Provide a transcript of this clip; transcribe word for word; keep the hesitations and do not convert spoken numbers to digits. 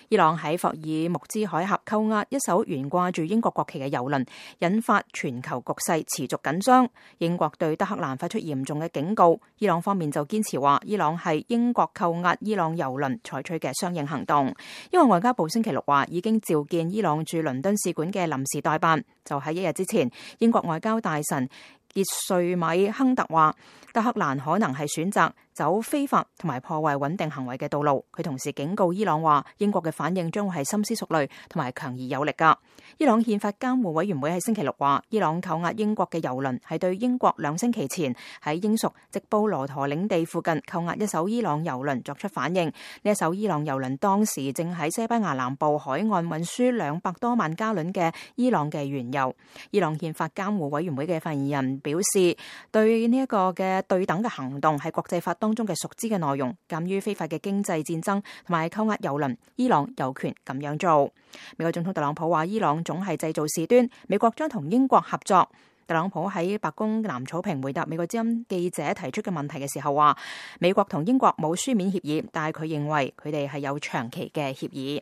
伊朗喺霍爾木茲海峽扣押一艘懸掛住英國國旗嘅油輪，引發全球局勢持續緊張。英國對德黑蘭發出嚴重嘅警告，伊朗方面就堅持話伊朗係英國扣押伊朗油輪採取嘅相應行動。因為外交部星期六話已經召見伊朗駐倫敦使館嘅臨時代辦，就喺一日之前，英國外交大臣傑瑞米亨特話德黑蘭可能係選擇走非法同埋破壞穩定行為嘅道路。佢同時警告伊朗話英國嘅反應將會係深思熟慮同埋強而有力㗎。伊朗憲法監護委員會喺星期六話伊朗扣押英國嘅油輪係對英國兩星期前喺英屬直布羅陀領地附近扣押一艘伊朗油輪作出反應。呢一艘伊朗油輪當時正喺西班牙南部海岸運輸兩百多萬加侖嘅伊朗嘅原油。伊朗憲法監護委員會嘅發言人表示，對呢一個嘅對等嘅行動係國際法當中嘅熟知嘅內容。鑑於非法嘅經濟戰爭同埋扣押油輪，伊朗有權咁樣做。美國總統特朗普話伊朗總係製造事端，美國將同英國合作。特朗普喺白宮南草坪回答美國之音記者提出嘅問題嘅時候話，美國同英國冇書面協議，但係佢認為佢哋係有長期嘅協議。